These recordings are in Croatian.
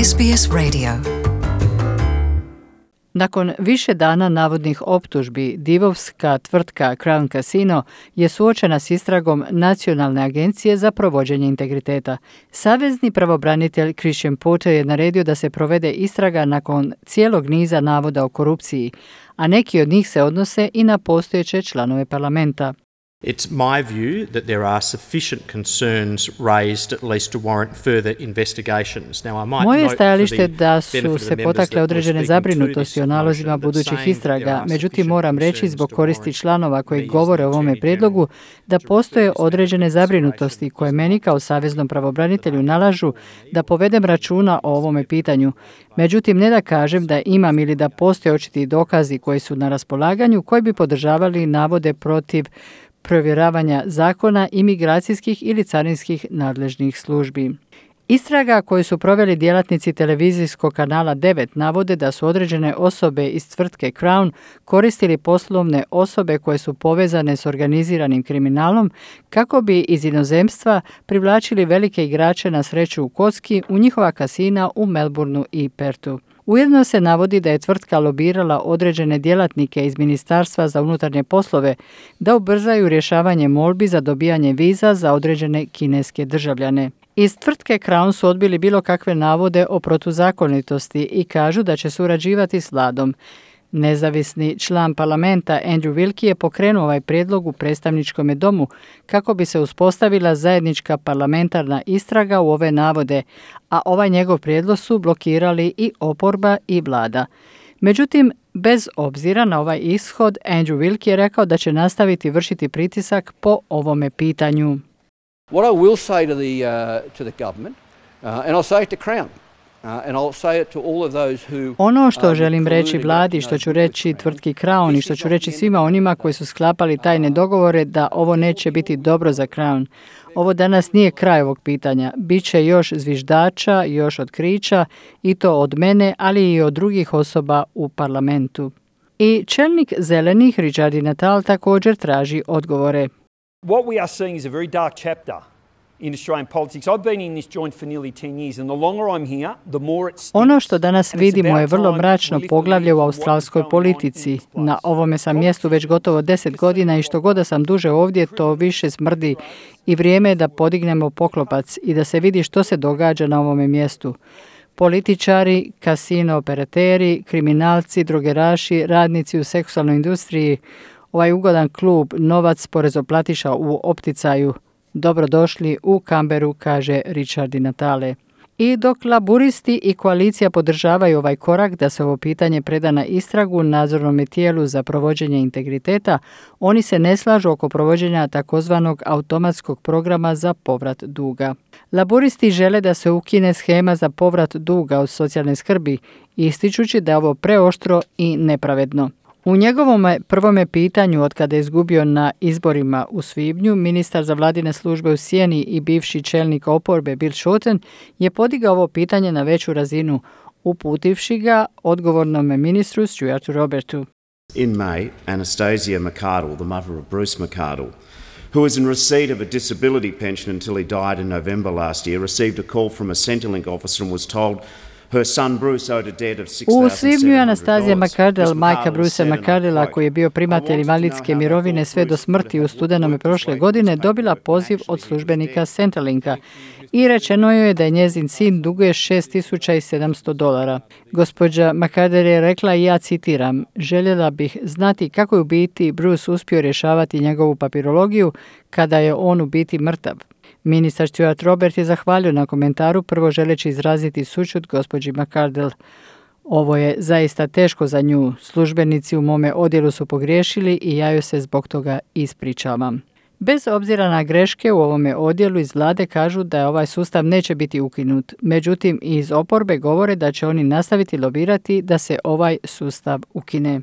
SBS Radio. Nakon više dana navodnih optužbi, divovska tvrtka Crown Casino je suočena s istragom Nacionalne agencije za provođenje integriteta. Savezni pravobranitelj Christian Porter je naredio da se provede istraga nakon cijelog niza navoda o korupciji, a neki od njih se odnose i na postojeće članove parlamenta. It's my view that there are sufficient concerns raised at least to warrant further investigations. Moje je stajalište da su se potakle određene zabrinutosti o nalozima budućih istraga, međutim moram reći zbog koristi članova koji govore o ovome prijedlogu da postoje određene zabrinutosti koje meni kao saveznom pravobranitelju nalažu da povedem računa o ovome pitanju. Međutim, ne da kažem da imam ili da postoje očiti dokazi koji su na raspolaganju koji bi podržavali navode protiv provjeravanja zakona, imigracijskih ili carinskih nadležnih službi. Istraga koju su proveli djelatnici televizijskog kanala 9 navode da su određene osobe iz tvrtke Crown koristili poslovne osobe koje su povezane s organiziranim kriminalom kako bi iz inozemstva privlačili velike igrače na sreću u kocki u njihova kasina u Melbourneu i Perthu. Ujedno se navodi da je tvrtka lobirala određene djelatnike iz Ministarstva za unutarnje poslove da ubrzaju rješavanje molbi za dobijanje viza za određene kineske državljane. Iz tvrtke Crown su odbili bilo kakve navode o protuzakonitosti i kažu da će surađivati s vladom. Nezavisni član parlamenta Andrew Wilkie je pokrenuo ovaj prijedlog u predstavničkom domu kako bi se uspostavila zajednička parlamentarna istraga u ove navode, a ovaj njegov prijedlog su blokirali i oporba i vlada. Međutim, bez obzira na ovaj ishod, Andrew Wilkie je rekao da će nastaviti vršiti pritisak po ovome pitanju. What I will say to the government, and I'll say it to Crown. Ono što želim reći vladi, što ću reći tvrtki Crown i što ću reći svima onima koji su sklapali tajne dogovore da ovo neće biti dobro za Crown. Ovo danas nije kraj ovog pitanja. Biće još zviždača, još otkrića i to od mene, ali i od drugih osoba u parlamentu. I čelnik zelenih Richard Natal također traži odgovore. What we are seeing is a very dark chapter in Australian politics. I've been in this joint for nearly 10 years and the longer I'm here, the more it stinks. Ono što danas vidimo je vrlo mračno poglavlje u australskoj politici. Na ovome sam mjestu već gotovo 10 godina i što god da sam duže ovdje, to više smrdi i vrijeme je da podignemo poklopac i da se vidi što se događa na ovome mjestu. Političari, kasino operateri, kriminalci, drogeraši, radnici u seksualnoj industriji, ovaj ugodan klub, novac porezoplatiša u opticaju. Dobrodošli u Canberru, kaže Richard Natale. I dok laburisti i koalicija podržavaju ovaj korak da se ovo pitanje preda na istragu nadzornom tijelu za provođenje integriteta, oni se ne slažu oko provođenja takozvanog automatskog programa za povrat duga. Laburisti žele da se ukine shema za povrat duga od socijalne skrbi, ističući da je ovo preoštro i nepravedno. U njegovom prvome pitanju od kada je izgubio na izborima u svibnju, ministar za vladine službe u sjeni i bivši čelnik oporbe Bill Shorten je podigao ovo pitanje na veću razinu, uputivši ga odgovornom ministru Stuartu Robertu. In May, Anastasia McArdle, the mother of Bruce McArdle, who was in receipt of a disability pension until he died in November last year, received a call from a Centrelink officer and was told u svibnju je Anastazija McArdle, majka Brucea McArdlea, koji je bio primatelj invalidske mirovine sve do smrti u studenome prošle godine, dobila poziv od službenika Centrelinka i rečeno joj je da je njezin sin duguje $6,700. Gospođa McArdle je rekla, i ja citiram, željela bih znati kako je u biti Bruce uspio rješavati njegovu papirologiju kada je on u biti mrtav. Ministar Stuart Robert je zahvalio na komentaru, prvo želeći izraziti sućut gospođi McArdle. Ovo je zaista teško za nju. Službenici u mome odjelu su pogriješili i ja joj se zbog toga ispričavam. Bez obzira na greške u ovome odjelu iz vlade kažu da ovaj sustav neće biti ukinut. Međutim, iz oporbe govore da će oni nastaviti lobirati da se ovaj sustav ukine.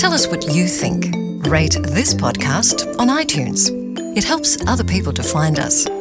Tell us what you think. Rate this podcast on iTunes. It helps other people to find us.